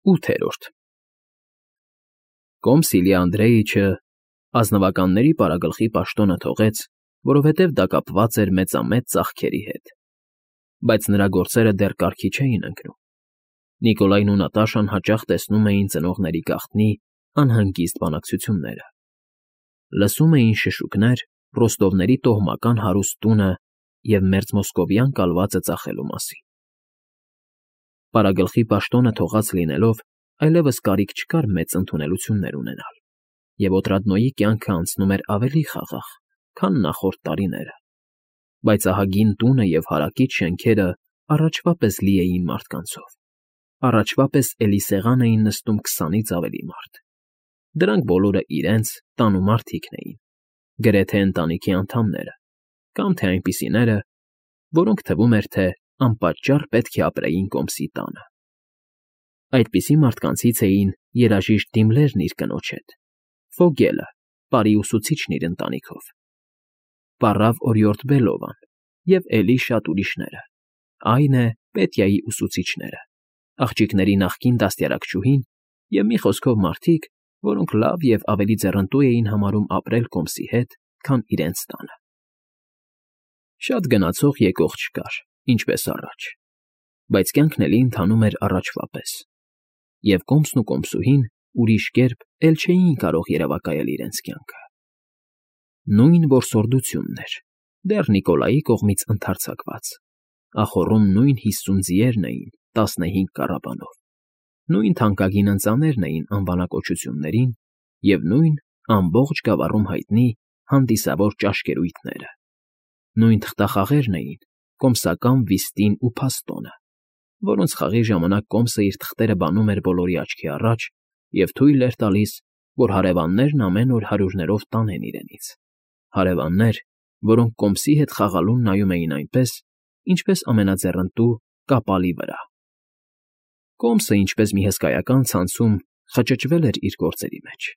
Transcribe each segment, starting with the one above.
8-րդ Կոմսիլի Անդրեիչը ազնվականների պարագլխի պաշտոնը թողեց, որովհետև դա կապված էր մեծամեծ ծախքերի հետ, բայց նրա գործերը դեռ կարգի չէին ընկնում։ Նիկոլային ու Նատաշան հաճախ տեսնում էին ծնողների գաղտնի անհանգիստ բանակցությունները։ Լսում էին շշուկներ Ռոստովների տոհմական հարուստ տունը և մերձմոսկովյան կալվածը ծախելու մասին։ Պարագլխի պաշտոնը թողած լինելով, այլևս կարիք չկար մեծ ընդունելություններ ունենալ, և Օտրադնոյի կյանքը անցնում էր ավելի խաղաղ, քան նախորդ տարիները, բայց ահագին տունը և հարակից շենքերը առաջվա պես լի էին մարդկանցով, առաջվա պես էլի սեղան էին նստում 20-ից ավելի մարդ։ Դրանք բոլորը իրենց տանումարդիկն էին, գրեթե ընտանիքի անդամները, կամ թե այնպիսիները, որոնք թվում էր, թե անպատճառ պետք է ապրեին Կոմսի տանը։ Այդպիսի մարդկանցից էին երաժիշտ Դիմլերն իր կնոջ հետ, Ֆոգելը, պարի ուսուցիչն իր ընտանիքով, պառավ օրիորդ Բելովան և էլի շատ ուրիշները, այն է, Պետյայի ուսուցիչները, աղջիկների նախկին դաստիարակչուհին և մի խոսքով մարդիկ, որոնք լավ և ավելի ձեռնտու էին համարում ապրել Կոմսի հետ, քան իրենց տանը։ Շատ գնացող եկող չկար, ինչպես առաջ, բայց կյանքն էլի ընթանում էր առաջվա պես, և Կոմսն ու Կոմսուհին ուրիշ կերպ էլ չէին կարող երևակայել իրենց կյանքը։ Նույն որսորդությունն էր, դեռ Նիկոլայի կողմից ընդարձակված, ախոռում նույն 50 ձիերն էին 15 կառաբանով, նույն թանկագին ընծաներն էին անվանակոչություններին և նույն ամբողջ գավառում հայտնի հանդիսավոր ճաշկերույթները, նույն թղթախաղերն էին կոմսական վիստին ու փաստոնը, որոնց խաղի ժամանակ Կոմսը իր թղթերը բանում էր բոլորի աչքի առաջ և թույլ էր տալիս, որ հարևաններն ամեն օր հարյուրներով տանեն իրենից, հարևաններ, որոնք Կոմսի հետ խաղալուն նայում էին այնպես, ինչպես ամենաձեռնտու կապալի վրա։ Կոմսը, ինչպես մի հսկայական ցանցում, խճճվել էր իր գործերի մեջ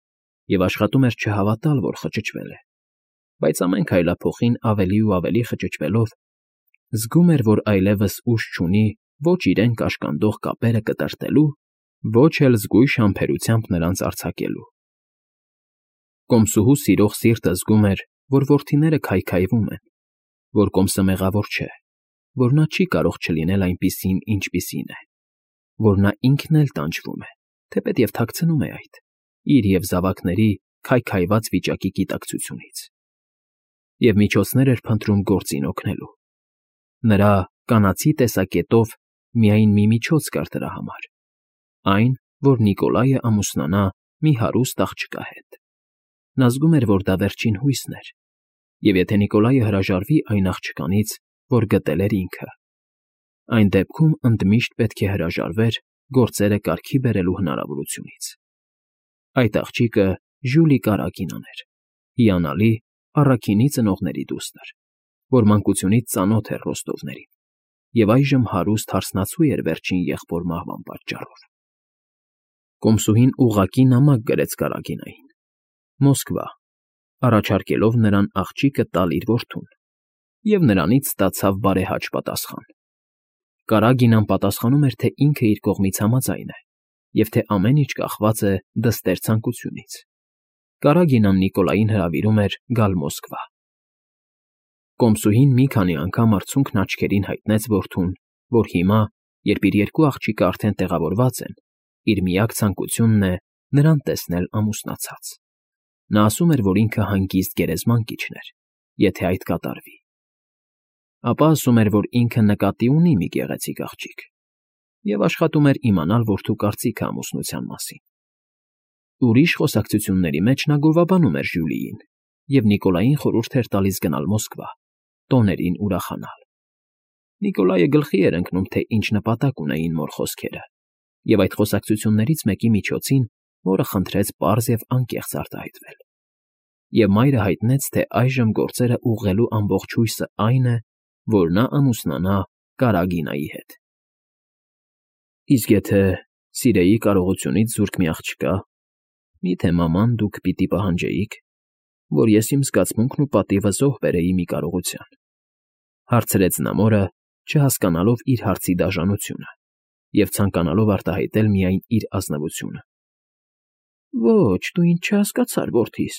և աշխատում էր չհավատալ, որ խճճվել է, բայց ամեն քայլափոխին ավելի ու ավելի խճճվելով, զգում էր, որ այլևս ուժ չունի ոչ իրեն կաշկանդող կապերը կտրտելու, ոչ էլ զգույշ համբերությամբ նրանց արձակելու։ Կոմսուհու սիրող սիրտը զգում էր, որ որդիները քայքայվում են, որ Կոմսը մեղավոր չէ, որ նա չի կարող չլինել այնպիսին, ինչպիսին է, որ նա ինքն էլ տանջվում է, թեպետև թաքցնում է այդ, իր և զավակների քայքայված վիճակի գիտակցությունից, և միջոցներ էր փնտրում գործին օգնելու։ Նրա կանացի տեսակետով միայն մի միջոց կար դրա համար, այն, որ Նիկոլայը ամուսնանա մի հարուստ աղջկա հետ։ Նա զգում էր, որ դա վերջին հույսն էր, և եթե Նիկոլայը հրաժարվի այն աղջկանից, որ գտել էր ինքը, այն դեպքում ընդմիշտ պետք է հրաժարվեր գործերը կարգի բերելու հնարավորությունից։ Այդ աղջիկը Ժյուլի Կարագինան էր, հիանալի, առաքինի ծնողների դուստր, որ մանկությունից ծանոթ էր Ռոստովներին, և այժմ հարուստ հարսնացու էր վերջին եղբոր մահվան պատճառով։ Կոմսուհին ուղղակի նամակ գրեց Կարագինային. Մոսկվա, առաջարկելով նրան աղջիկը տալ իր որդուն, և նրանից ստացավ բարեհաճ պատասխան։ Կարագինան պատասխանում էր, թե ինքը իր կողմից համաձայն է, և թե ամեն ինչ կախված է դստեր ցանկությունից։ Կարագինան Նիկոլային հրավիրում էր գալ Մոսկվա։ Կոմսուհին մի քանի անգամ արցունքն աչքերին հայտնեց որդուն, որ հիմա, երբ իր երկու աղջիկը արդեն տեղավորված են, իր միակ ցանկությունն է նրան տեսնել ամուսնացած։ Նա ասում էր, որ ինքը հանգիստ գերեզման կիջներ, եթե այդ կատարվի։ Ապա ասում էր, որ ինքը նկատի ունի մի գեղեցիկ աղջիկ, և աշխատում էր իմանալ որդու կարծիքը ամուսնության մասին։ Ուրիշ խոսակցությունների մեջ նա գովաբանում էր Ժյուլիին, և Նիկոլային խորհուրդ էր տալիս գնալ Մոսկվա, տոներին ուրախանալ։ Նիկոլայը գլխի էր ընկնում, թե ինչ նպատակ ունեին մոր խոսքերը, և այդ խոսակցություններից մեկի միջոցին մորը խնդրեց պարզ և անկեղծ արտահայտվել։ Եվ մայրը հայտնեց, թե այժմ գործերը ուղղելու ամբողջ հույսը այն է, որ նա ամուսնանա Կարագինայի հետ։ Իսկ եթե սիրեի կարողությունից զուրկ մի աղջկա, միթե մաման դուք պիտի պահանջեիք, որ ես իմ զգացմունքն ու պատիվը զոհ բերեի մի կարողության, հարցրեց նա մորը, չհասկանալով իր հարցի դաժանությունը, և ցանկանալով արտահայտել միայն իր ազնվությունը։ Ոչ, դու ինձ չհասկացար, որդիս,֊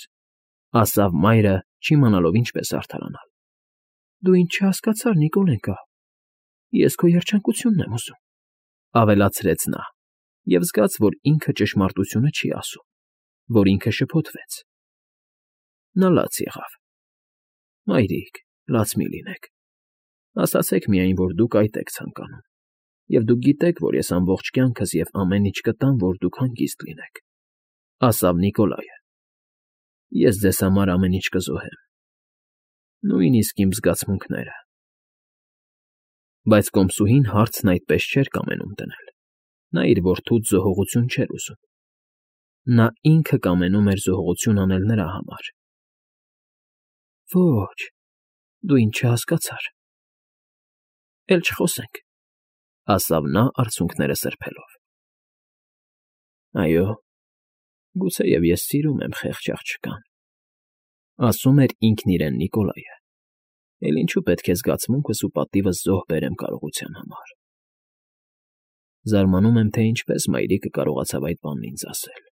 ասավ մայրը, չիմանալով ինչպես արդարանալ։ Դու ինձ չհասկացար, Նիկոլենկա, ես քո երջանկությունն եմ ուզում,֊ ավելացրեց նա, և զգաց, որ ինքը ճշմարտությունը չի ասում, որ ինքը շփոթվեց։ Նա լաց եղավ։ Մայրիկ, լաց մի լինեք, ասացեք միայն, որ դուք այդ եք ցանկանում, և դուք գիտեք, որ ես ամբողջ կյանքս և ամեն ինչ կտամ, որ դուք հանգիստ լինեք,֊ ասավ Նիկոլայը։ Ես ձեզ համար ամեն ինչ կզոհեմ, նույնիսկ իմ զգացմունքները։ Բայց կոմսուհին հարցն այդպես չէր կամենում դնել։ Նա իր որդուց զոհողություն չէր ուզում։ Նա ինքը կամենում էր զոհողություն անել նրա համար։ Ոչ, դու ինձ չհասկացար։ Էլ չխոսենք,֊ ասավ նա արցունքները սրբելով։ Այո, գուցեև ես սիրում եմ խեղճ աղջկան,֊ ասում էր ինքն իրեն Նիկոլայը, էլ ինչու պետք է զգացմունքս ու պատիվս զոհ բերեմ կարողության համար։ Զարմանում եմ, թե ինչպես մայրիկը կարողացավ այդ բանն ինձ ասել։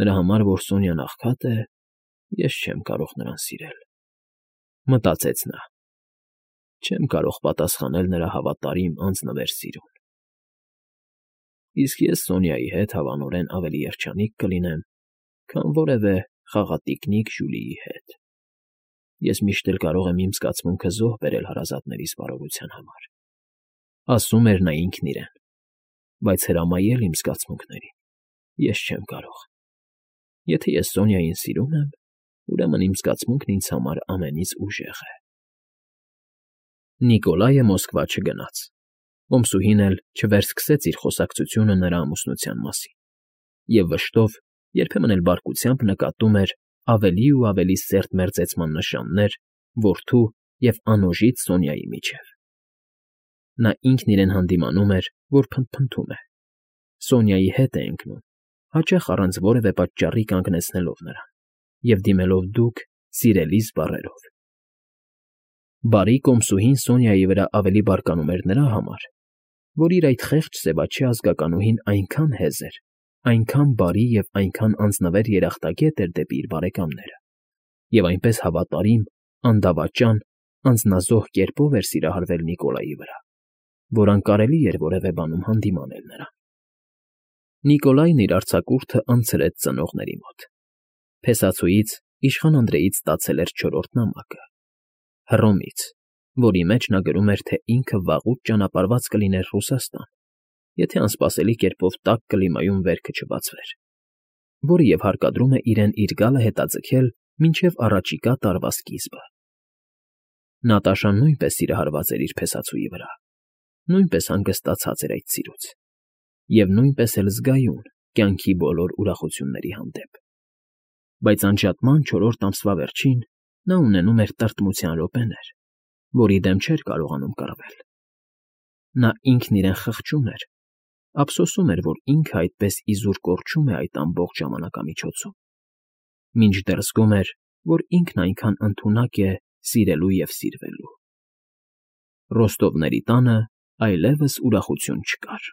Նրա համար, որ Սոնյան աղքատ է, ես չեմ կարող նրան սիրել,֊ մտածեց նա։ Չեմ կարող պատասխանել նրա հավատարիմ անձնվեր սիրուն։ Իսկ ես Սոնյայի հետ հավանորեն ավելի երջանիկ կլինեմ, քան որևէ խաղատիկնիկ Ժյուլիի հետ։ Ես միշտ էլ կարող եմ իմ զգացմունքը զոհ բերել հարազատներիս բարօրության համար,֊ ասում էր նա ինքն իրեն, բայց հրամայել իմ զգացմունքներին ես չեմ կարող։ Եթե ես Սոնյային սիրում եմ, ուրեմն իմ զգացմունքն ինձ համար ամենից ուժեղ է։ Նիկոլայը Մոսկվա չգնաց։ Կոմսուհին էլ չվերսկսեց իր խոսակցությունը նրա ամուսնության մասին, և վշտով, երբեմն էլ բարկությամբ նկատում էր ավելի ու ավելի սերտ մերձեցման նշաններ որդու և անոժիծ Սոնյայի միջև։ Նա ինքն իրեն հանդիմանում էր, որ փնթփնթում է, Սոնյայի հետ է ընկնում, հաճախ առանց որևէ պատճառի կանգնեցնելով նրան և դիմելով դուք սիրելիս բառերով։ Բարի կոմսուհին Սոնյայի վրա ավելի բարկանում էր նրա համար, որ իր այդ խեղճ սևաչի ազգականուհին այնքան հեզ էր, այնքան բարի և այնքան անձնվեր երախտագետ էր դեպի իր բարեկամները, և այնպես հավատարիմ, անդավաճան, անձնազոհ կերպով էր սիրահարվել Նիկոլայի վրա, որ անկարելի էր որևէ բանում հանդիմանել նրան։ Նիկոլայն իր արձակուրդը անցրեց ծնողների մոտ։ Փեսացուից իշխան Անդրեից ստացել էր 4-րդ նամակը, Հռոմից, որի մեջ նա գրում էր, թե ինքը վաղուց ճանապարհված կլիներ Ռուսաստան, եթե անսպասելի կերպով տաք կլիմայում վերքը չբացվեր, որը և հարկադրում է իրեն իր գալը հետաձգել մինչև առաջիկա տարվա սկիզբը։ Նատաշան նույնպես սիրահարված էր իր փեսացուի վրա, նույնպես հանգստացած էր այդ սիրուց և նույնպես էլ զգայուն կյանքի բոլոր ուրախությունների հանդեպ։ Բայց անջատման 4-րդ ամսվա վերջին նա ունենում էր տրտմության րոպեներ, որի դեմ չէր կարողանում կռվել։ Նա ինքն իրեն խղճում էր, ափսոսում էր, որ ինքը այդպես իզուր կորչում է այդ ամբողջ ժամանակամիջոցում, մինչդեռ զգում էր, որ ինքն այնքան ընդունակ է սիրելու և սիրվելու։ Ռոստովների տանը այլևս ուրախություն չկար։